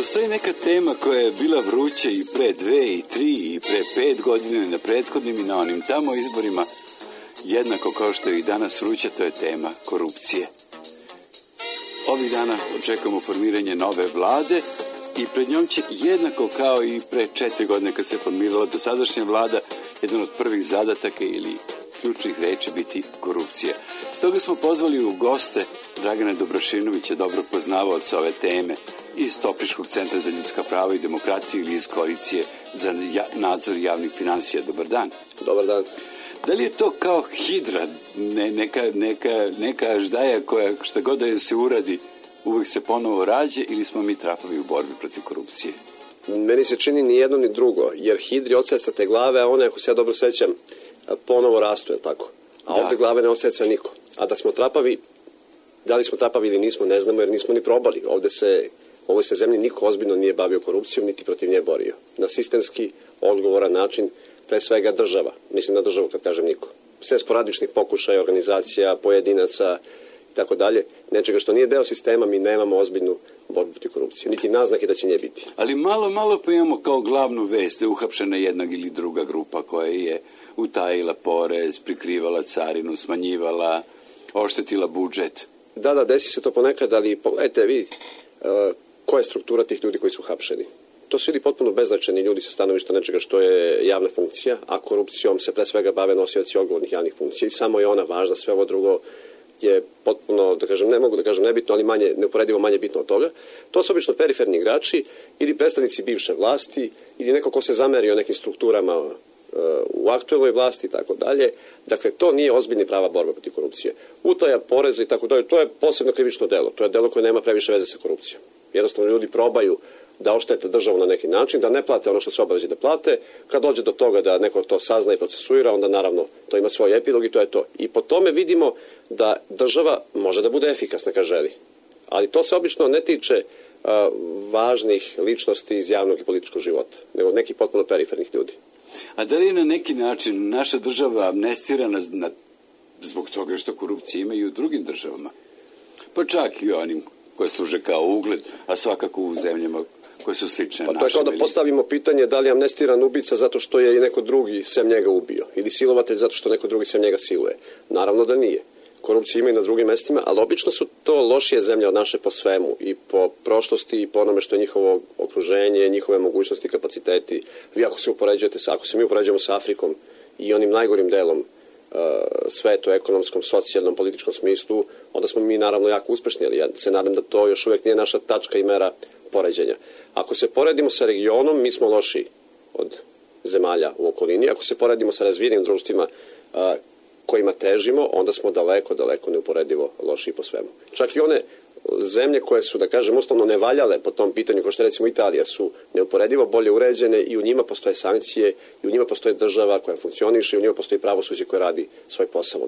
postoji neka tema koja je bila vruća i pre 2 i 3 i pre 5 godina na prethodnim i na onim tamo izborima, jednako kao što je i danas vruća, to je tema korupcije. Ovih dana očekujemo formiranje nove vlade i pred njom će jednako kao i pre 4 godine kad se formirala dosadašnja vlada, jedan od prvih zadataka ili ključnih reči biti korupcija. Stoga smo pozvali u goste Dragana Dobrašinovića, dobro poznavaoca ove teme, iz Topliškog centra za ljudska prava i demokratiju ili iz Koalicije za nadzor javnih finansija. Dobar dan. Dobar dan. Da li je to kao hidra, neka aždaja koja šta god da je se uradi, uvek se ponovo rađe, ili smo mi trapovi u borbi protiv korupcije? Meni se čini ni jedno ni drugo, jer hidri odsecate glave, a one, ako se ja dobro sećam, ponovo rastu, je tako? A ovde glave ne odseca niko. A da smo trapavi, da li smo trapavi ili nismo, ne znamo, jer nismo ni probali. U ovoj se zemlji niko ozbiljno nije bavio korupcijom, niti protiv nje borio. Na sistemski, odgovoran način, pre svega država. Mislim na državu kad kažem niko. Sve sporadičnih pokušaja, organizacija, pojedinaca i tako dalje. Nečega što nije deo sistema, mi nemamo ozbiljnu borbu protiv korupcije. Niti naznake da će nje biti. Ali malo pa imamo kao glavnu vest da je uhapšena jedna ili druga grupa koja je utajila porez, prikrivala carinu, smanjivala, oštetila budžet. Da, desi se to ponekad, ali pogledajte vi koja je struktura tih ljudi koji su uhapšeni. To su ili potpuno beznačajni ljudi sa stanovišta nečega što je javna funkcija, a korupcijom se pre svega bave nosioci odgovornih javnih funkcija i samo je ona važna, sve ovo drugo je potpuno, da kažem, ne mogu da kažem nebitno, ali neuporedivo manje bitno od toga. To su obično periferni igrači ili predstavnici bivše vlasti ili neko ko se zamerio nekim strukturama u aktuelnoj vlasti i tako dalje. Dakle, to nije ozbiljna prava borba protiv korupcije. Utaja poreza i tako dalje, to je posebno krivično delo. To je delo koje nema previše veze sa korupcijom. Jednostavno ljudi probaju da oštete državu na neki način, da ne plate ono što se obavezi da plate. Kad dođe do toga da neko to sazna i procesuira, onda naravno to ima svoj epilog i to je to. I po tome vidimo da država može da bude efikasna kad želi. Ali to se obično ne tiče važnih ličnosti iz javnog i političkog života, nego nekih potpuno perifernih ljudi. A da li je na neki način naša država amnestirana zbog toga što korupcije ima i u drugim državama? Pa čak i onim koje služe kao ugled, a svakako u zemljama koje su slične našim. Pa to je kao da postavimo pitanje da li je amnestiran ubica zato što je i neko drugi sem njega ubio, ili silovatelj zato što neko drugi sem njega siluje. Naravno da nije. Korupcija ima i na drugim mestima, ali obično su to lošije zemlje od naše po svemu, i po prošlosti i po onome što je njihovo okruženje, njihove mogućnosti, kapaciteti. Vi ako se mi upoređujemo sa Afrikom i onim najgorim delom svetu, ekonomskom, socijalnom, političkom smislu, onda smo mi naravno jako uspešni, ali ja se nadam da to još uvek nije naša tačka i mera poređenja. Ako se poredimo sa regionom, mi smo lošiji od zemalja u okolini. Ako se poredimo sa razvijenim društvima kojima težimo, onda smo daleko neuporedivo lošiji po svemu. Čak i one zemlje koje su, da kažem, uslovno ne valjale po tom pitanju, kao što recimo Italija, su neuporedivo bolje uređene i u njima postoje sankcije, i u njima postoje država koja funkcioniše, i u njima postoji pravosuđe koje radi svoj posao.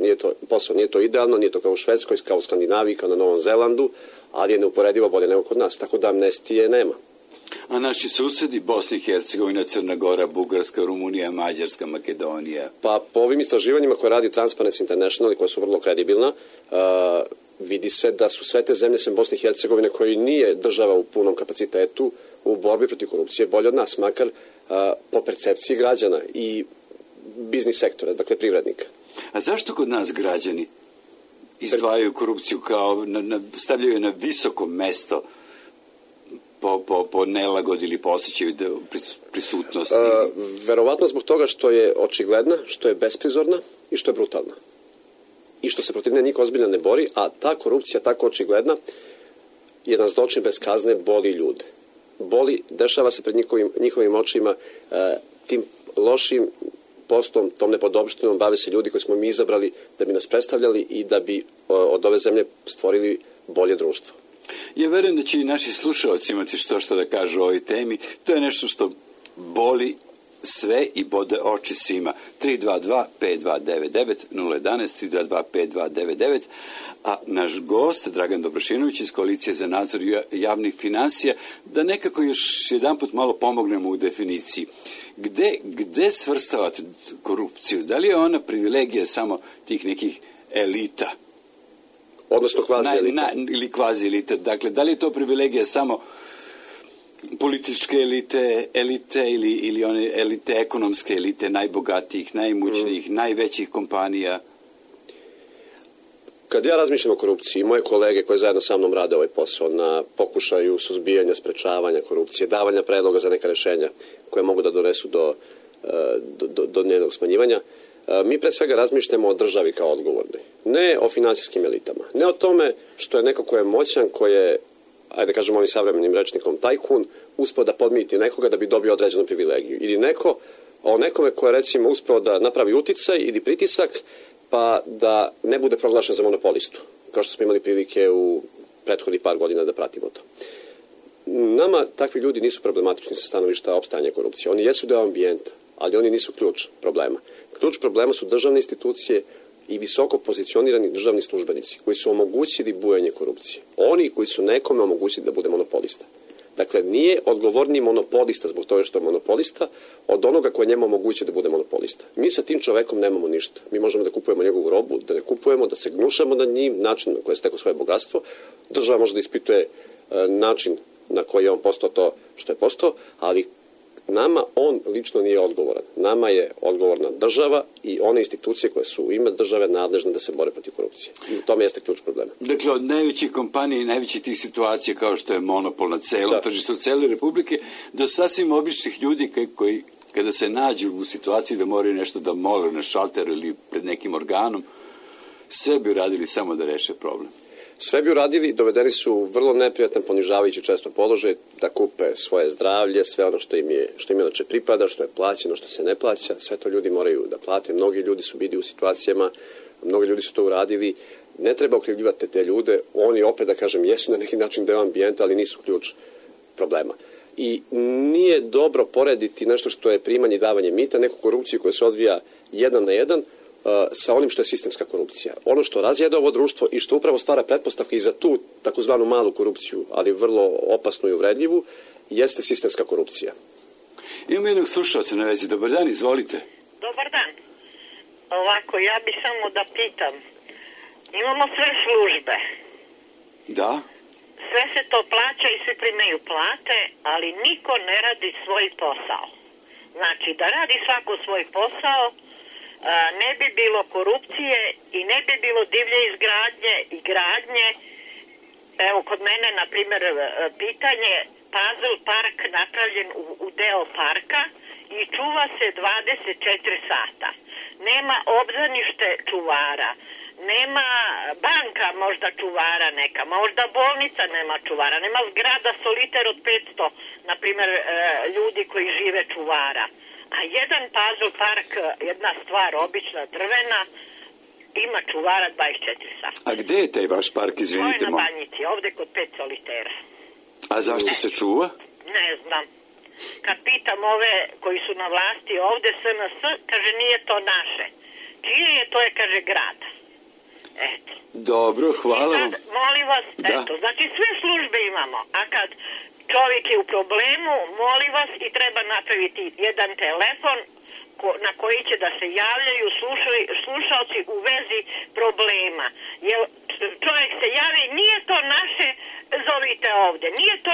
Nije to idealno, nije to kao u Švedskoj, kao u Skandinaviji, kao na Novom Zelandu, ali je neuporedivo bolje nego kod nas, tako da amnestije nema. A naši susedi, Bosna i Hercegovina, Crna Gora, Bugarska, Rumunija, Mađarska, Makedonija? Pa po ovim istraživanjima koje radi Transparency International i koja su vrlo kredibilna, vidi se da su sve te zemlje sem Bosne i Hercegovine, koji nije država u punom kapacitetu u borbi protiv korupcije, bolje od nas, makar po percepciji građana i biznis sektora, dakle privrednika. A zašto kod nas građani izdvajaju korupciju kao, stavljaju je na visoko mesto po nelagodi ili po osjećaju prisutnosti? Verovatno zbog toga što je očigledna, što je besprizorna i što je brutalna. I što se protiv nje niko ozbiljno ne bori, a ta korupcija tako očigledna, jedan zločin bez kazne, boli ljude. Dešava se pred njihovim očima, tim lošim poslom, tom nepodopštinom bave se ljudi koji smo mi izabrali da bi nas predstavljali i da bi od ove zemlje stvorili bolje društvo. Ja verujem da će i naši slušalci imati što da kažu o ovoj temi. To je nešto što boli sve i bode oči svima. 322-5299, 011 322-5299, a naš gost, Dragan Dobrašinović iz Koalicije za nadzor javnih finansija, da nekako još jedanput malo pomognemo u definiciji. Gde svrstavate korupciju? Da li je ona privilegija samo tih nekih elita? Odnosno kvazi elita. Ili kvazi elita. Dakle, da li je to privilegija samo političke elite ili one elite, ekonomske elite, najbogatijih, najmućnijih, najvećih kompanija? Kad ja razmišljam o korupciji, moje kolege koje zajedno sa mnom rade ovaj posao na pokušaju suzbijanja, sprečavanja korupcije, davanja predloga za neka rešenja koje mogu da donesu do njenog smanjivanja, mi pre svega razmišljamo o državi kao odgovornoj. Ne o finansijskim elitama. Ne o tome što je neko ko je moćan, ko je, ajde kažemo ovim savremenim rečnikom, tajkun, uspeo da podmiti nekoga da bi dobio određenu privilegiju. Ili o nekome ko je recimo uspeo da napravi uticaj ili pritisak pa da ne bude proglašen za monopolistu, kao što smo imali prilike u prethodnih par godina da pratimo to. Nama takvi ljudi nisu problematični sa stanovišta opstajanja korupcije. Oni jesu deo ambijenta, ali oni nisu ključ problema. Ključ problema su državne institucije i visoko pozicionirani državni službenici koji su omogućili bujanje korupcije. Oni koji su nekome omogućili da bude monopolista. Dakle, nije odgovorniji monopolista zbog toga što je monopolista od onoga koji njemu omogućuje da bude monopolista. Mi sa tim čovekom nemamo ništa. Mi možemo da kupujemo njegovu robu, da ne kupujemo, da se gnušamo nad njim, način na koji je stekao svoje bogatstvo. Država može da ispituje način na koji je on postao to što je postao, ali nama on lično nije odgovoran. Nama je odgovorna država i one institucije koje su u ime države nadležne da se bore protiv korupcije. I u tome jeste ključ problema. Dakle, od najvećih kompanija i najvećih tih situacija kao što je monopol na celom tržištu cele Republike, do sasvim običnih ljudi koji kada se nađu u situaciji da moraju nešto da mole na šalteru ili pred nekim organom, sve bi uradili samo da reše problem. Sve bi uradili, dovedeni su u vrlo neprijatan, ponižavajući često položaj, da kupe svoje zdravlje, sve ono što im inače pripada, što je plaćeno, što se ne plaća, sve to ljudi moraju da plate. Mnogi ljudi su bili u situacijama, mnogi ljudi su to uradili. Ne treba okrivljivati te ljude, oni opet, da kažem, jesu na neki način deo ambijenta, ali nisu ključ problema. I nije dobro porediti nešto što je primanje i davanje mita, neku korupciju koja se odvija 1 na 1, sa onim što je sistemska korupcija. Ono što razjeda ovo društvo i što upravo stvara pretpostavke i za tu takozvanu malu korupciju, ali vrlo opasnu i uvredljivu, jeste sistemska korupcija. Imamo jednog slušalca na vezi. Dobar dan, izvolite. Dobar dan. Ovako, ja bi samo da pitam. Imamo sve službe. Da. Sve se to plaća i svi primaju plate, ali niko ne radi svoj posao. Znači, da radi svako svoj posao, ne bi bilo korupcije i ne bi bilo divlje izgradnje i gradnje. Evo, kod mene, na primjer, pitanje, puzzle park napravljen u deo parka i čuva se 24 sata. Nema obdanište čuvara, nema banka možda čuvara neka, možda bolnica nema čuvara, nema zgrada soliter od 500, na primjer, ljudi koji žive čuvara. A jedan puzzle park, jedna stvar obična drvena, ima čuvara 24 sata. A gde je taj vaš park, izvinite? To je na Banjici, ovde kod 5 solitera. A zašto se čuva? Ne znam. Kad pitam ove koji su na vlasti ovde, SNS, kaže nije to naše. Čije je, to je, kaže, grad. Eto. Dobro, hvala vam. Molim vas, eto, znači sve službe imamo, a kad čovjek je u problemu, molim vas, i treba napraviti jedan telefon na koji će da se javljaju slušalci u vezi problema. Jer čovjek se javi, nije to naše, zovite ovdje, nije to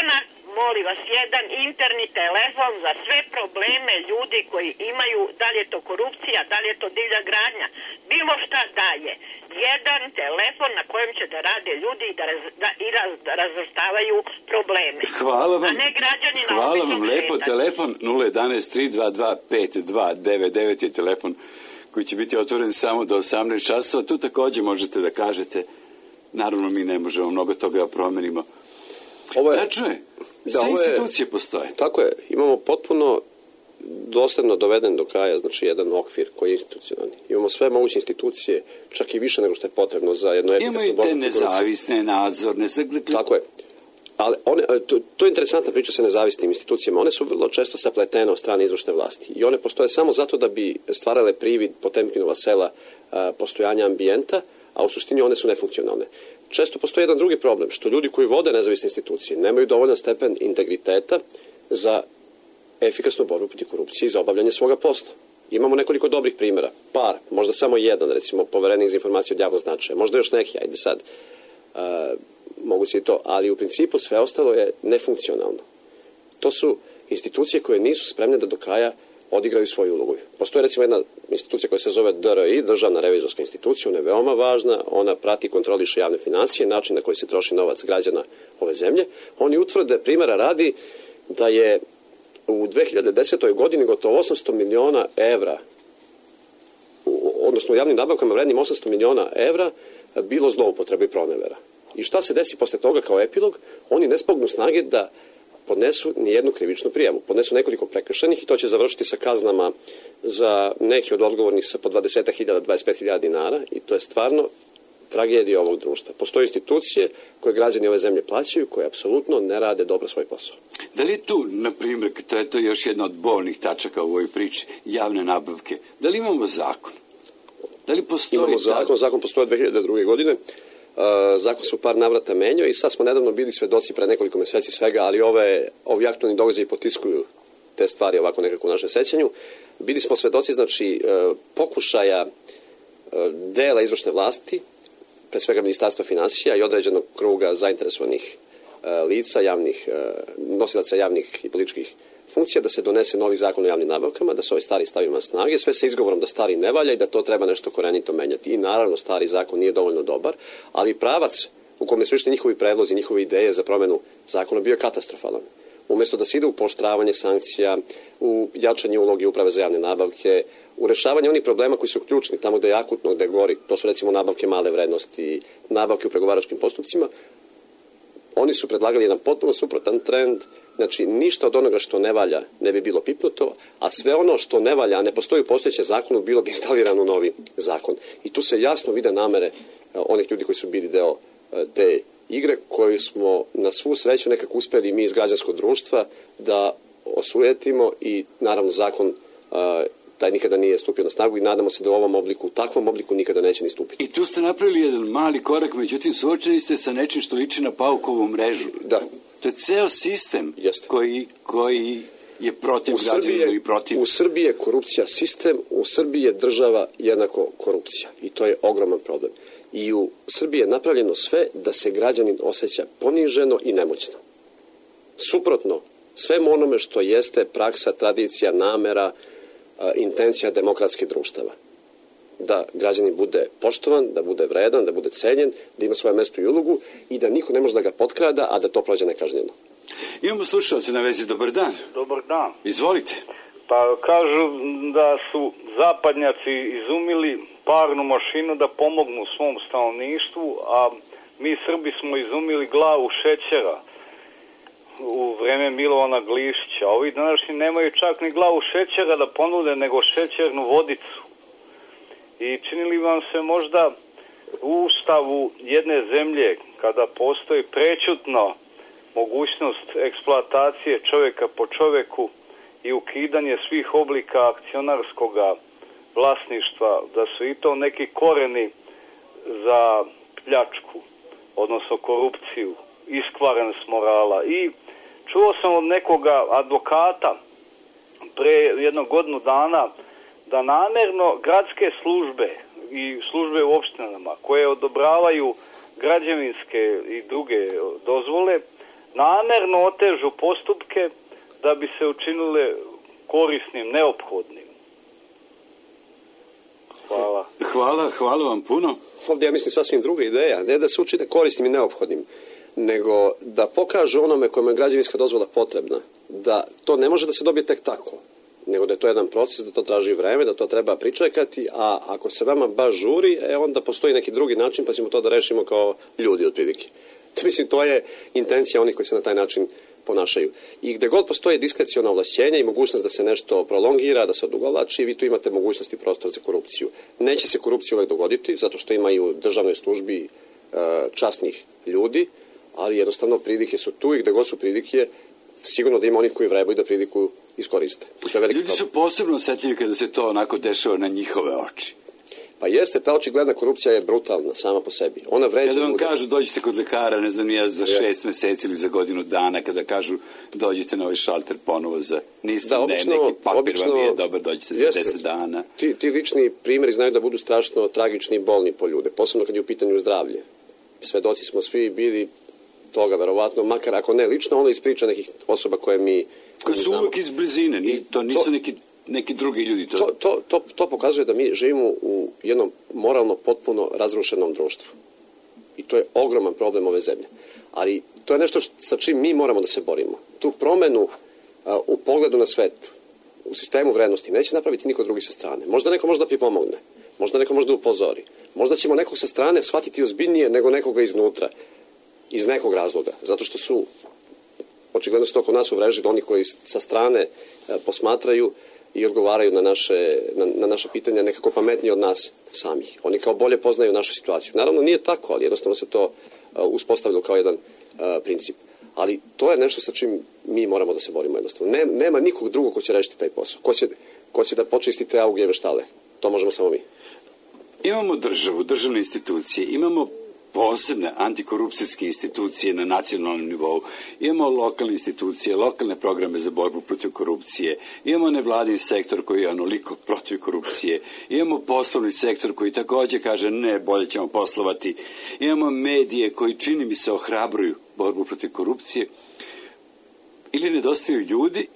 molim vas, jedan interni telefon za sve probleme ljudi koji imaju, da li je to korupcija, da li je to divlja gradnja, bilo šta daje. Jedan telefon na kojem će da rade ljudi i da razvrstavaju probleme. Hvala vam. A ne građani na Hvala vam lepo. šetanju. Telefon 011-322-5299 je telefon koji će biti otvoren samo do 18 časova. Tu također možete da kažete, naravno mi ne možemo mnogo toga da promenimo. Tačno je. Sve institucije postoje. Tako je. Imamo potpuno dosledno doveden do kraja, znači jedan okvir koji je institucionalni. Imamo sve moguće institucije, čak i više nego što je potrebno za jedno efikasno borbu. Imaju te nezavisne, nadzorne. Tako je. Ali to je interesantna priča sa nezavisnim institucijama. One su vrlo često sapletene od strane izvršne vlasti. I one postoje samo zato da bi stvarale privid Potemkinova sela postojanja ambijenta, a u suštini one su nefunkcionalne. Često postoji jedan drugi problem, što ljudi koji vode nezavisne institucije nemaju dovoljan stepen integriteta za efikasnu borbu protiv korupcije i za obavljanje svoga posla. Imamo nekoliko dobrih primjera, par, možda samo jedan, recimo poverenik za informacije od javnog značaja, možda još neki, ajde sad, moguće i to, ali u principu sve ostalo je nefunkcionalno. To su institucije koje nisu spremne da do kraja odigraju svoju ulogu. Postoji recimo jedna institucija koja se zove DRI, Državna revizorska institucija, ona je veoma važna, ona prati i kontroliše javne financije, način na koji se troši novac građana ove zemlje. Oni utvrde, primjera radi, da je u 2010. godini gotovo 800 miliona evra, odnosno u javnim nabavkama vrednim 800 miliona evra, bilo zloupotrebe i pronevera. I šta se desi posle toga kao epilog? Oni ne spognu snage da podnesu nijednu krivičnu prijavu. Podnesu nekoliko prekršajnih i to će završiti sa kaznama za neki od odgovornih sa po 20.000, 25.000 dinara i to je stvarno tragedija ovog društva. Postoje institucije koje građani ove zemlje plaćaju, koje apsolutno ne rade dobro svoj posao. Da li tu, na primjer, to je još jedna od bolnih tačaka u ovoj priči, javne nabavke, da li imamo zakon? Da li postoji... Imamo zakon postoje od 2002. godine. Zakon se u par navrata menjao i sad smo nedavno bili svedoci pre nekoliko meseci svega, ali ovi aktualni događaji potiskuju te stvari ovako nekako u našem sećanju. Bili smo svedoci, znači, pokušaja dela izvršne vlasti, pre svega Ministarstva finansija i određenog kruga zainteresovanih lica, nosilaca javnih i političkih funkcija, da se donese novi zakon o javnim nabavkama, da se ovaj stari stavi na snage, sve sa izgovorom da stari ne valja i da to treba nešto korenito menjati. I naravno stari zakon nije dovoljno dobar, ali pravac u kome su išli njihovi predlozi, njihove ideje za promenu zakona bio katastrofalan. Umjesto da se ide u pooštravanje sankcija, u jačanje uloge uprave za javne nabavke, u rešavanje onih problema koji su ključni, tamo gde je akutno, gde je gori, to su recimo nabavke male vrednosti, nabavke u pregovaračkim postupcima, oni su predlagali jedan potpuno suprotan trend, znači ništa od onoga što ne valja ne bi bilo pipnuto, a sve ono što ne valja, a ne postoji u postojećem zakonu, bilo bi instalirano u novi zakon. I tu se jasno vide namere onih ljudi koji su bili deo te igre, koju smo na svu sreću nekako uspeli mi iz građanskog društva da osujetimo i naravno zakon taj nikada nije stupio na snagu i nadamo se da u ovom obliku, u takvom obliku nikada neće ni stupiti. I tu ste napravili jedan mali korak, međutim suočeni ste sa nečim što liči na paukovu mrežu. Da. To je ceo sistem koji je protiv građana i protiv... U Srbiji je korupcija sistem, u Srbiji je država jednako korupcija i to je ogroman problem. I u Srbiji je napravljeno sve da se građanin osjeća poniženo i nemoćno. Suprotno svemu onome što jeste praksa, tradicija, namera, intencija demokratskih društava. Da građanin bude poštovan, da bude vredan, da bude cenjen, da ima svoje mesto i ulogu i da niko ne može da ga potkrada, a da to prođe nekažnjeno. Imamo slušalce na vezi. Dobar dan. Dobar dan. Izvolite. Pa kažu da su zapadnjaci izumili parnu mašinu da pomognu svom stanovništvu, a mi Srbi smo izumili glavu šećera u vreme Milovana Glišića. Ovi današnji nemaju čak ni glavu šećera da ponude, nego šećernu vodicu. I čini li vam se možda u ustavu jedne zemlje, kada postoji prećutno mogućnost eksploatacije čovjeka po čovjeku i ukidanje svih oblika akcionarskog vlasništva, da su i to neki koreni za pljačku, odnosno korupciju, iskvarenost morala. I čuo sam od nekoga advokata pre jednog godinu dana da namjerno gradske službe i službe u opštinama koje odobravaju građevinske i druge dozvole namjerno otežu postupke da bi se učinile korisnim, neophodnim. Hvala. Hvala vam puno. Ovdje ja mislim sasvim druga ideja, ne da se učine korisnim i neophodnim, nego da pokažu onome kojima je građevinska dozvola potrebna, da to ne može da se dobije tek tako, nego da je to jedan proces, da to traži vreme, da to treba pričekati, a ako se vama baš žuri, onda postoji neki drugi način, pa ćemo to da rešimo kao ljudi otprilike. Mislim, to je intencija onih koji se na taj način ponašaju. I gde god postoje diskreciona ovlašćenja i mogućnost da se nešto prolongira, da se odugovlači, vi tu imate mogućnosti prostor za korupciju. Neće se korupcija uvek dogoditi, zato što imaju u državnoj službi časnih ljudi, ali jednostavno prilike su tu i gde god su prilike, sigurno da ima onih koji vrebaju da priliku iskoriste. Ljudi su posebno osjetljivi kada se to onako dešava na njihove oči. Pa jeste, ta očigledna korupcija je brutalna sama po sebi. Ona vređa kada vam ljude. Kažu dođite kod lekara, ne znam ja, za 6 meseci ili za godinu dana, kada kažu dođite na ovaj šalter ponovo za neki papir vam je dobar, dođite za 10 dana. Ti lični primjeri znaju da budu strašno tragični i bolni po ljude, posebno kad je u pitanju zdravlje. Svedoci smo svi bili toga, verovatno, makar ako ne lično, ono iz priča nekih osoba koje mi koji su uvijek iz blizine, to nisu neki drugi ljudi. To pokazuje da mi živimo u jednom moralno potpuno razrušenom društvu. I to je ogroman problem ove zemlje. Ali to je nešto sa čim mi moramo da se borimo. Tu promenu u pogledu na svet, u sistemu vrednosti, neće napraviti niko drugi sa strane. Možda neko može da pripomogne, možda neko može da upozori, možda ćemo nekog sa strane shvatiti ozbiljnije nego nekoga iznutra, iz nekog razloga, zato što su očigledno se to kod nas uvrežili oni koji sa strane posmatraju i odgovaraju na naše pitanja nekako pametnije od nas samih. Oni kao bolje poznaju našu situaciju. Naravno nije tako, ali jednostavno se to uspostavilo kao jedan princip. Ali to je nešto sa čim mi moramo da se borimo jednostavno. Nema nikog drugog ko će rešiti taj posao. Ko će da počisti te augijeve štale. To možemo samo mi. Imamo državu, državne institucije, imamo posebne antikorupcijske institucije na nacionalnom nivou, imamo lokalne institucije, lokalne programe za borbu protiv korupcije, imamo nevladin sektor koji je onoliko protiv korupcije, imamo poslovni sektor koji također kaže ne, bolje ćemo poslovati, imamo medije koji čini mi se ohrabruju borbu protiv korupcije. Ili nedostaju ljudi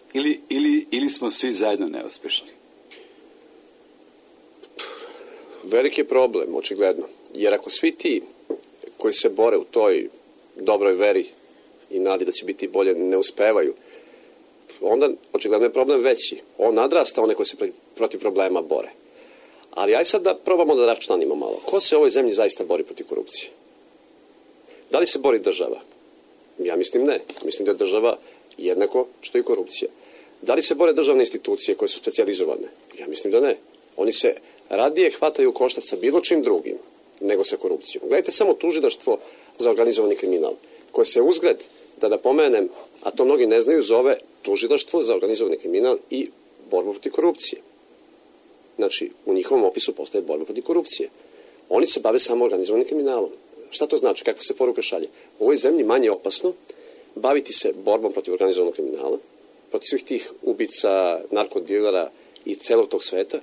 ili smo svi zajedno neuspešni? Veliki je problem, očigledno. Jer ako svi ti koji se bore u toj dobroj veri i nadi da će biti bolje ne uspevaju, onda očigledno je problem veći. On nadrasta one koji se protiv problema bore. Ali aj sad da probamo da raščlanimo malo. Ko se u ovoj zemlji zaista bori protiv korupcije? Da li se bori država? Ja mislim ne. Mislim da je država jednako što i korupcija. Da li se bore državne institucije koje su specijalizovane? Ja mislim da ne. Oni se radije hvataju u koštac sa bilo čim drugim nego sa korupcijom. Gledajte samo tužilaštvo za organizovani kriminal, koje se uzgred, da napomenem, a to mnogi ne znaju, zove tužilaštvo za organizovani kriminal i borbu protiv korupcije. Znači, u njihovom opisu postoje borba protiv korupcije. Oni se bave samo organizovanim kriminalom. Šta to znači? Kakva se poruka šalje? U ovoj zemlji manje opasno baviti se borbom protiv organizovanog kriminala, protiv svih tih ubica, narkodilera i celog tog sveta,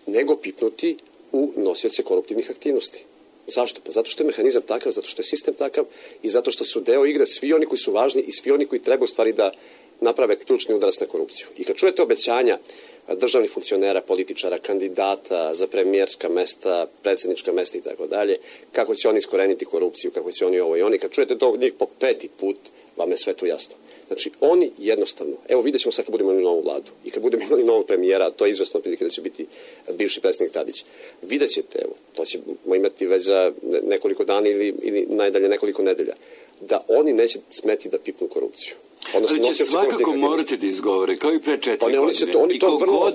nego pipnuti u nosioce koruptivnih aktivnosti. Zašto? Pa zato što je mehanizam takav, zato što je sistem takav i zato što su deo igre svi oni koji su važni i svi oni koji treba u stvari da naprave ključni udarac na korupciju. I kad čujete obećanja državnih funkcionera, političara, kandidata za premijerska mesta, predsjednička mesta i tako dalje, kako će oni iskoreniti korupciju, kako će oni ovo i oni, kad čujete to njih po 5. put, vam je sve to jasno. Znači, oni jednostavno, evo vidjet ćemo sad kad budemo imali novu vladu i kad budemo imali novog premijera, to je izvesno prilike da će biti bivši predsjednik Tadić. Vidjet ćete, evo, to ćemo imati već za nekoliko dana ili najdalje nekoliko nedelja, da oni neće smeti da pipnu korupciju. Ali će svakako morati da izgovore, kao i pre 4 godine. I koliko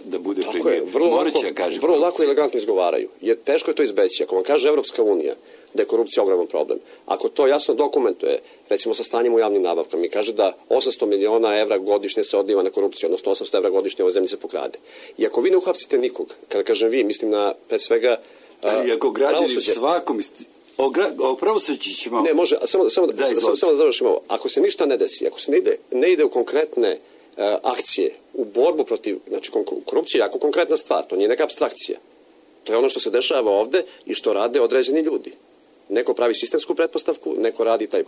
da bude premijer, morat će da kaže. Vrlo lako i elegantno izgovaraju. Jer teško je to izbeći. Ako vam kaže Evropska unija da je korupcija ogroman problem, ako to jasno dokumentuje, recimo sa stanjem u javnim nabavkama i kaže da 800 miliona evra godišnje se odliva na korupciju, odnosno 800 evra godišnje ove zemlje se pokrade. I ako vi ne uhapsite nikog, kada kažem vi, mislim na pre svega i ako građani svakom o pravosuđu ćemo... Ne, može, samo da završimo ovo. Ako se ništa ne desi, ako se ne ide u konkretne akcije, u borbu protiv, znači korupcija je jako konkretna stvar, to nije neka apstrakcija. To je ono što se dešava ovde i što rade određeni ljudi. Neko pravi sistemsku pretpostavku, neko radi taj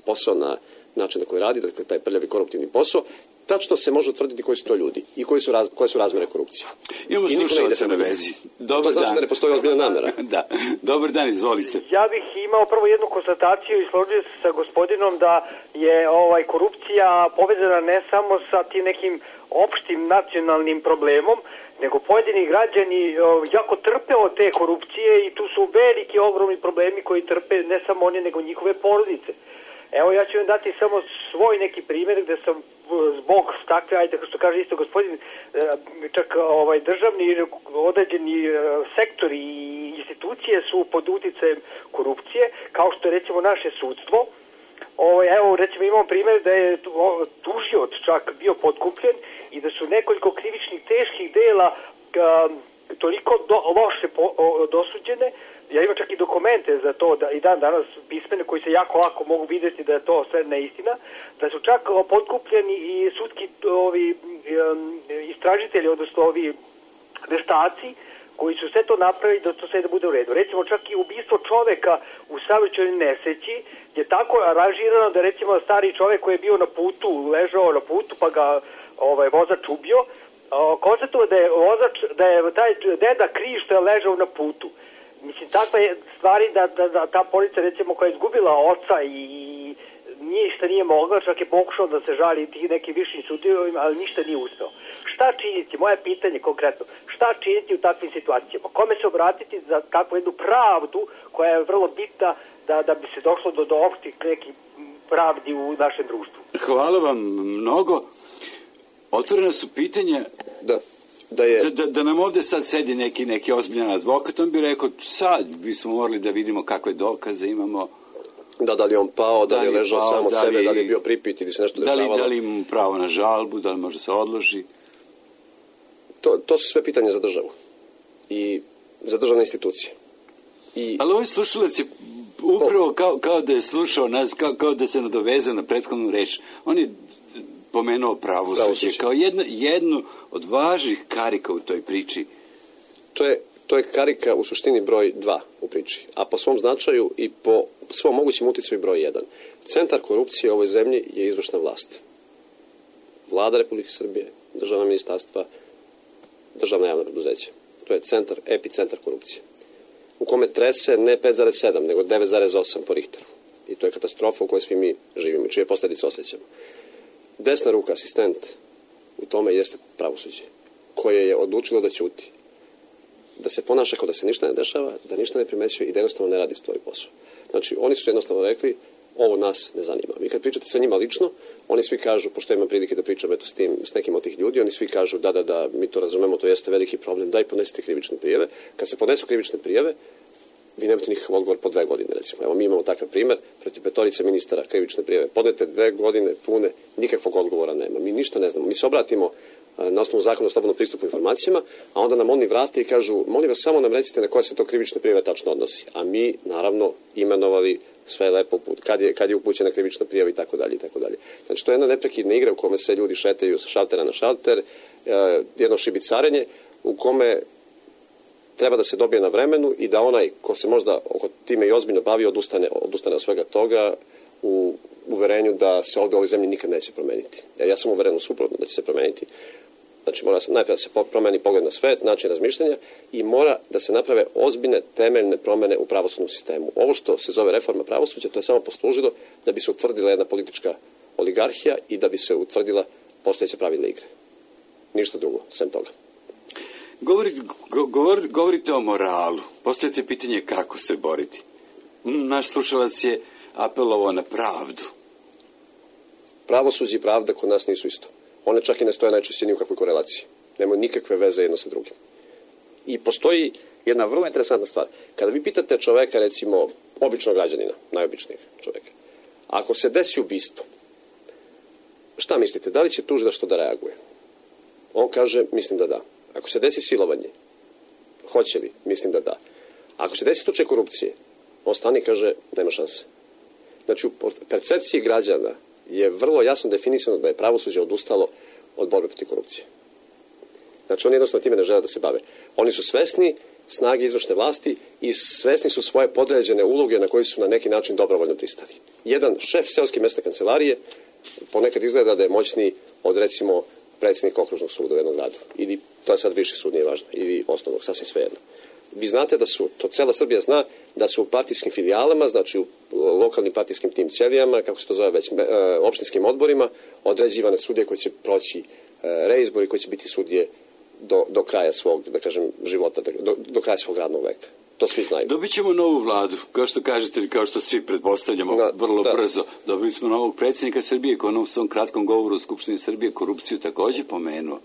posao na način na koji radi, dakle taj prljavi koruptivni posao, tačno se može utvrditi koji su to ljudi i koje su razmere korupcije. Imamo slušalce na vezi. To znači da ne postoji ozbiljna namera. Da. Dobar dan, izvolite. Ja bih imao prvo jednu konstataciju i složio se sa gospodinom da je korupcija povezana ne samo sa tim nekim opštim nacionalnim problemom, nego pojedini građani jako trpe od te korupcije i tu su veliki, ogromni problemi koji trpe ne samo oni, nego njihove porodice. Evo, ja ću vam dati samo svoj neki primjer gde sam zbog takve, ajde, što kaže isto gospodin, čak državni određeni sektori i institucije su pod uticajem korupcije, kao što je recimo naše sudstvo. Evo, recimo imamo primjer da je tužioc čak bio potkupljen i da su nekoliko krivičnih teških dela toliko loše dosuđene. Ja imam čak i dokumente za to da i dan danas pismene koji se jako lako mogu vidjeti da je to sve neistina, da su čak potkupljeni i sudski istražitelji, odnosno ovi veštaci koji su sve to napravili da to sve da bude u redu. Recimo čak i ubistvo čoveka u saobraćajnoj nesreći je tako aranžirano da recimo stari čovek koji je bio na putu, ležao na putu pa ga vozač ubio, konstatovao da je taj deda kriv što je ležao na putu. Mislim, takve stvari da ta polica recimo koja je izgubila oca i ništa nije mogla, čak je pokušao da se žali tih nekim višim sudovima, ali ništa nije uspeo. Šta činiti, moje pitanje konkretno, šta činiti u takvim situacijama? Kome se obratiti za takvu jednu pravdu koja je vrlo bitna da bi se došlo do opštih nekih pravdi u našem društvu? Hvala vam mnogo. Otvorena su pitanja da nam ovde sad sedi neki ozbiljan advokat, on bi rekao sad bismo morali da vidimo kakve dokaze imamo. Da li on pao, da li je ležao samo od sebe, da li je bio pripit ili se nešto dešavalo. Da li imamo pravo na žalbu, da li može se odloži. To su sve pitanje za državu i za državne institucije. Ali ovaj slušalac je upravo kao da je slušao nas, kao da se nadovezao na prethodnu reč. On je pomenuo pravosuđe kao jednu od važnih karika u toj priči. To je karika u suštini broj 2 u priči, a po svom značaju i po svom mogućim uticaju broj 1. Centar korupcije u ovoj zemlji je izvršna vlast. Vlada Republike Srbije, državna ministarstva, državna javna preduzeća. To je epicentar korupcije. U kome trese ne 5,7, nego 9,8 po Richteru. I to je katastrofa u kojoj svi mi živimo i čije posljedice osjećamo. Desna ruka, asistent, u tome jeste pravosuđe, koje je odlučilo da ćuti, da se ponaša kao da se ništa ne dešava, da ništa ne primećuje i da jednostavno ne radi svoj posao. Znači, oni su jednostavno rekli, ovo nas ne zanima. Vi kad pričate sa njima lično, oni svi kažu, pošto imam prilike da pričam s nekim od tih ljudi, oni svi kažu da, mi to razumemo, to jeste veliki problem, daj podnesite krivične prijave. Kad se podnesu krivične prijave, vi nemate nikakav odgovor po 2 godine, recimo. Evo, mi imamo takav primer, protiv 5 ministara krivične prijave. Podnete 2 godine pune, nikakvog odgovora nema. Mi ništa ne znamo. Mi se obratimo na osnovu zakona o slobodnom pristupu informacijama, a onda nam oni vrate i kažu, molim vas, samo nam recite na koje se to krivične prijave tačno odnosi. A mi, naravno, imenovali sve lepo kad je upućena krivična prijava i tako dalje i tako dalje. Znači, to je jedna neprekidna igra u kome se ljudi šetaju sa šaltera na šalter, jedno šibicarenje u kome treba da se dobije na vremenu i da onaj ko se možda oko time i ozbiljno bavi odustane od svega toga u uverenju da se ovdje u ovoj zemlji nikad neće promeniti. Ja sam uveren suprotno da će se promeniti. Znači, mora najprije da se promeni pogled na svet, način razmišljanja i mora da se naprave ozbiljne temeljne promene u pravosudnom sistemu. Ovo što se zove reforma pravosuđa, to je samo poslužilo da bi se utvrdila jedna politička oligarhija i da bi se utvrdila postojeća pravila igre. Ništa drugo, sem toga. Govorite o moralu. Postavite pitanje kako se boriti. Naš slušalac je apelovao na pravdu. Pravosuđe i pravda kod nas nisu isto. One čak i ne stoje najčešće ni u kakvoj korelaciji. Nemaju nikakve veze jedno sa drugim. I postoji jedna vrlo interesantna stvar. Kada vi pitate čoveka, recimo, običnog građanina, najobičnijeg čoveka, ako se desi ubistvo, šta mislite, da li će tužilaštvo da reaguje? On kaže, mislim da da. Ako se desi silovanje, hoće li? Mislim da da. Ako se desi slučaj korupcije, on stani i kaže, nema šanse. Znači, u percepciji građana je vrlo jasno definisano da je pravosuđe odustalo od borbe protiv korupcije. Znači, oni jednostavno time ne žele da se bave. Oni su svesni snage izvršne vlasti i svesni su svoje podređene uloge na koje su na neki način dobrovoljno pristali. Jedan šef seoske mesne kancelarije ponekad izgleda da je moćniji od, recimo, predsjednika okružnog suda u jednom gradu. Ili, to je sad viši sud, nije važno, ili osnovnog, sasvim svejedno. Vi znate da su, to cela Srbija zna, da su u partijskim filijalama, znači u lokalnim partijskim tim ćelijama, kako se to zove već, opštinskim odborima, određivane sudije koje će proći reizbor i koje će biti sudije do kraja svog, da kažem, života, do kraja svog radnog veka. To svi znaju. Dobit ćemo novu vladu, kao što kažete ili kao što svi pretpostavljamo, vrlo brzo. Dobili smo novog predsjednika Srbije koji u svom kratkom govoru u Skupštini Srbije korupciju također pomenuo.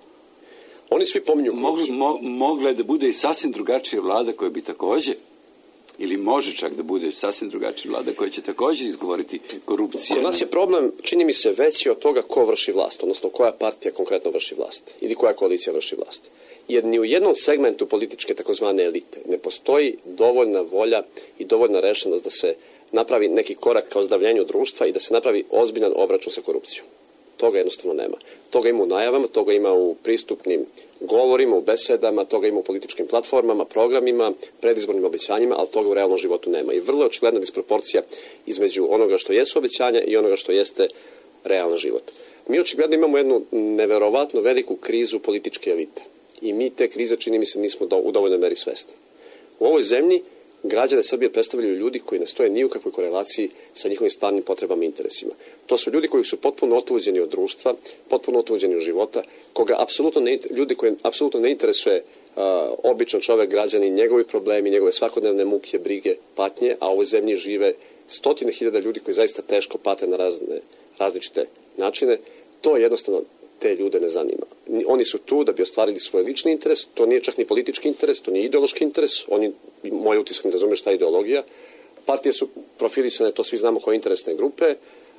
Oni svi pominju korupciju. Mogla je da bude i sasvim drugačija vlada koja bi također, ili može čak da bude sasvim drugačija vlada koja će također izgovoriti korupciju. Kod nas je problem, čini mi se, veći od toga ko vrši vlast, odnosno koja partija konkretno vrši vlast ili koja koalicija vrši vlast. Jer ni u jednom segmentu političke takozvane elite ne postoji dovoljna volja i dovoljna rešenost da se napravi neki korak ka ozdravljenju društva i da se napravi ozbiljan obračun sa korupcijom. Toga jednostavno nema. Toga ima u najavama, toga ima u pristupnim govorima, u besedama, toga ima u političkim platformama, programima, predizbornim obećanjima, ali toga u realnom životu nema. I vrlo je očigledna disproporcija između onoga što jesu obećanja i onoga što jeste realan život. Mi očigledno imamo jednu neverovatno veliku krizu političke elite. I mi te krize, čini mi se, nismo u dovoljnoj meri svesni. U ovoj zemlji građane Srbije predstavljaju ljudi koji ne stoje ni u kakvoj korelaciji sa njihovim stvarnim potrebama i interesima. To su ljudi koji su potpuno otuđeni od društva, potpuno otuđeni od života, ljudi koje apsolutno ne interesuje običan čovek, građanin, njegovi problemi, njegove svakodnevne muke, brige, patnje, a u ovoj zemlji žive stotine hiljada ljudi koji zaista teško pate na različite načine. To jednostavno te ljude ne zanima. Oni su tu da bi ostvarili svoj lični interes, to nije čak ni politički interes, to nije ideološki interes, moj utisak ne razume šta je ideologija. Partije su profilisane, to svi znamo, kao interesne grupe.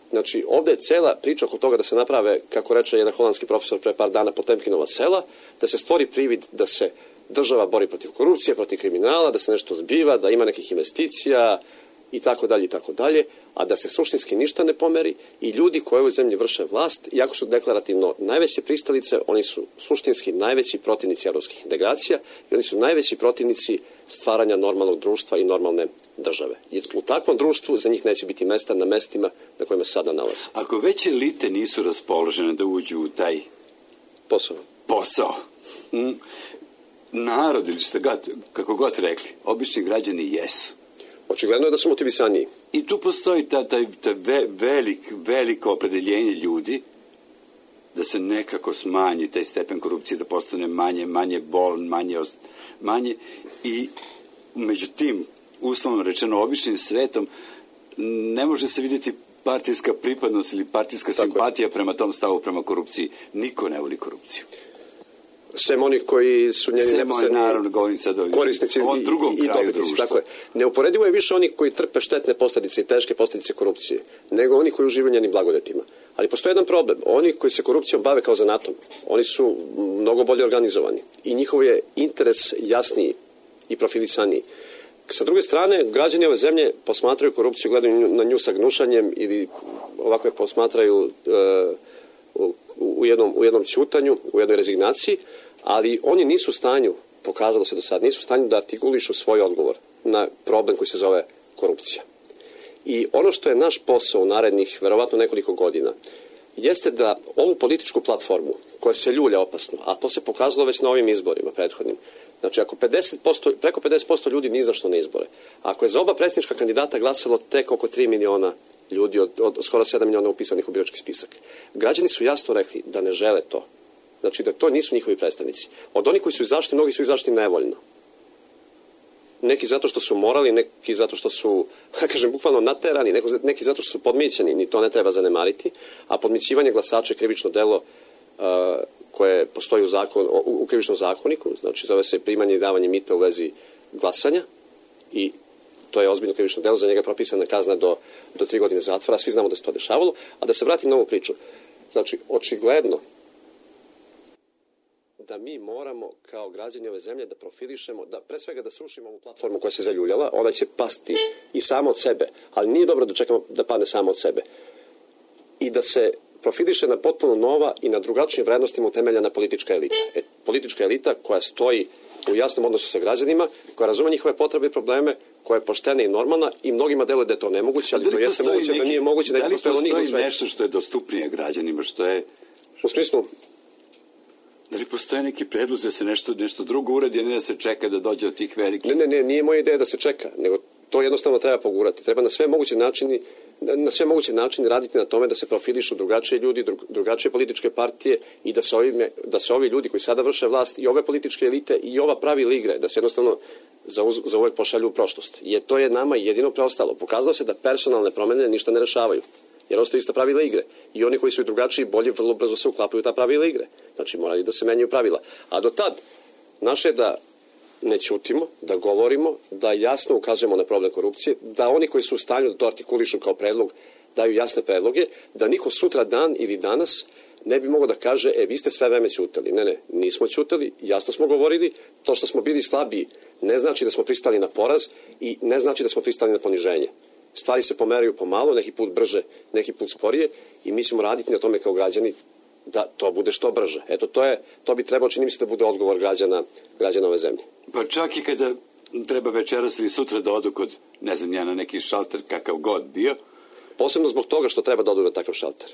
Znači, ovdje je cela priča oko toga da se naprave, kako reče jedan holandski profesor pre par dana, Potemkinova sela, da se stvori privid da se država bori protiv korupcije, protiv kriminala, da se nešto zbiva, da ima nekih investicija i tako dalje, a da se suštinski ništa ne pomeri i ljudi koji u ovoj zemlji vrše vlast, iako su deklarativno najveće pristalice, oni su suštinski najveći protivnici evropskih integracija i oni su najveći protivnici stvaranja normalnog društva i normalne države. Jer u takvom društvu za njih neće biti mesta na mestima na kojima se sada nalaze. Ako već elite nisu raspoložene da uđu u taj posao, narod ili što kako god rekli, obični građani jesu. Očigledno je da su motivisaniji. I tu postoji veliko opredeljenje ljudi da se nekako smanji taj stepen korupcije, da postane manje bolan, manje i među tim, uslovno rečeno, običnim svetom ne može se vidjeti partijska pripadnost ili partijska simpatija prema tom stavu, prema korupciji. Niko ne voli korupciju. Sem onih koji su njeni neposredni korisnici i dobitnici. Tako je. Neuporedivo je više onih koji trpe štetne posljedice i teške posljedice korupcije, nego oni koji uživaju njenim blagodetima. Ali postoji jedan problem. Oni koji se korupcijom bave kao zanatom, oni su mnogo bolje organizovani i njihov je interes jasniji i profilisaniji. Sa druge strane, građani ove zemlje posmatraju korupciju, gledaju na nju sa gnušanjem ili ovako je posmatraju u jednom ćutanju, u jednoj rezignaciji, ali oni nisu u stanju, pokazalo se do sad, nisu u stanju da artikulišu svoj odgovor na problem koji se zove korupcija. I ono što je naš posao u narednih, verovatno nekoliko godina, jeste da ovu političku platformu, koja se ljulja opasno, a to se pokazalo već na ovim izborima prethodnim, znači ako preko 50% ljudi ni za što ne izbore, ako je za oba predsjednička kandidata glasalo tek oko 3 miliona ljudi od skoro 7 miliona upisanih u birački spisak, građani su jasno rekli da ne žele to. Znači da to nisu njihovi predstavnici. Od onih koji su izašli, mnogi su izašli nevoljno. Neki zato što su morali, neki zato što su, kažem, bukvalno naterani, neki zato što su podmićeni, ni to ne treba zanemariti, a podmićivanje glasača je krivično delo koje postoji u krivičnom zakoniku, znači zove se primanje i davanje mita u vezi glasanja i to je ozbiljno krivično delo, za njega je propisana kazna do 3 godine zatvora, svi znamo da se to dešavalo, a da se vratim na ovu priču. Znači, očigledno da mi moramo kao građani ove zemlje da profilišemo, da pre svega da srušimo ovu platformu koja se zaljuljala, ona će pasti i sama od sebe, ali nije dobro da čekamo da padne sama od sebe. I da se profiliše na potpuno nova i na drugačijim vrednostima utemeljena politička elita. Politička elita koja stoji u jasnom odnosu sa građanima, koja razume njihove potrebe i probleme, koja je poštena i normalna i mnogima deluje da je to nemoguće, ali to jeste moguće, da nije moguće, da li postoji nešto što je dostupnije građanima, što je... U smislu? Da li postoje neki predlog da se nešto drugo uradi, a ne da se čeka da dođe od tih velikih? Ne, nije moja ideja da se čeka, nego to jednostavno treba pogurati. Treba na sve moguće načine raditi na tome da se profilišu drugačije ljudi, drugačije političke partije i da se ovi ljudi koji sada vrše vlast i ove političke elite i ova pravila igre, da se jednostavno za uvek pošalju u prošlost. Jer to je nama jedino preostalo. Pokazalo se da personalne promene ništa ne rešavaju. Jer ostaju ista pravila igre. I oni koji su drugačiji bolje vrlo brzo se uklapaju u ta pravila igre. Znači moraju da se menjaju pravila. A do tad naše je da ne ćutimo, da govorimo, da jasno ukazujemo na problem korupcije, da oni koji su u stanju da to artikulišu kao predlog daju jasne predloge, da niko sutra dan ili danas ne bi mogao da kaže vi ste sve vreme ćutali. Ne, nismo ćutali, jasno smo govorili, to što smo bili slabiji ne znači da smo pristali na poraz i ne znači da smo pristali na poniženje. Stvari se pomeraju pomalo, neki put brže, neki put sporije i mi ćemo raditi na tome kao građani da to bude što brže. Eto, to bi trebalo, čini mi se, da bude odgovor građana ove zemlje. Pa čak i kada treba večeras ili sutra da odu kod, ne znam ja, na neki šalter kakav god bio. Posebno zbog toga što treba da odu na takav šalter.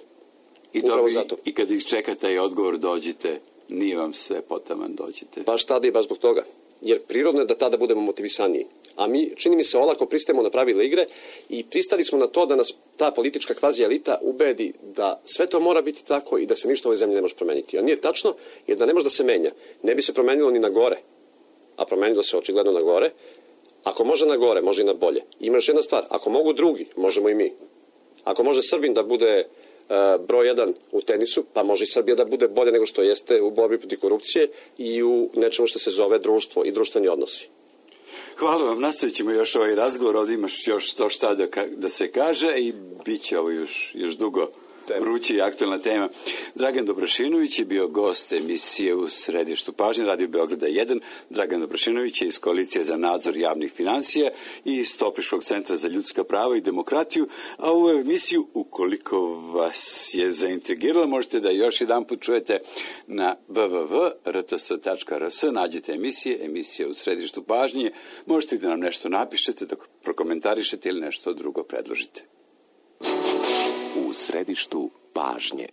I kada ih čeka taj odgovor, dođite, nije vam sve potaman, dođite. Baš tada i baš zbog toga. Jer prirodno je da tada budemo motivisaniji. A mi, čini mi se, olako pristajemo na pravila igre i pristali smo na to da nas ta politička kvazi elita ubedi da sve to mora biti tako i da se ništa u ovoj zemlji ne može promeniti. A nije tačno, jer da ne može da se menja. Ne bi se promenilo ni na gore, a promenilo se očigledno na gore. Ako može na gore, može i na bolje. Ima još jedna stvar, ako mogu drugi, možemo i mi. Ako može Srbin da bude broj 1 u tenisu, pa može i Srbija da bude bolje nego što jeste u borbi protiv korupcije i u nečemu što se zove društvo i društveni odnosi. Hvala vam, nastavit ćemo još ovaj razgovor, ovdje imaš još to šta da se kaže i bit će ovo još dugo vruća i aktualna tema. Dragan Dobrašinović je bio gost emisije U središtu pažnje, Radio Beograda 1. Dragan Dobrašinović je iz Koalicije za nadzor javnih financija i iz Topliškog centra za ljudska prava i demokratiju, a ovu emisiju, ukoliko vas je zaintrigirala, možete da još jedan put čujete na www.rts.rs, nađete emisije U središtu pažnje, možete da nam nešto napišete, da prokomentarišete ili nešto drugo predložite. U središtu pažnje.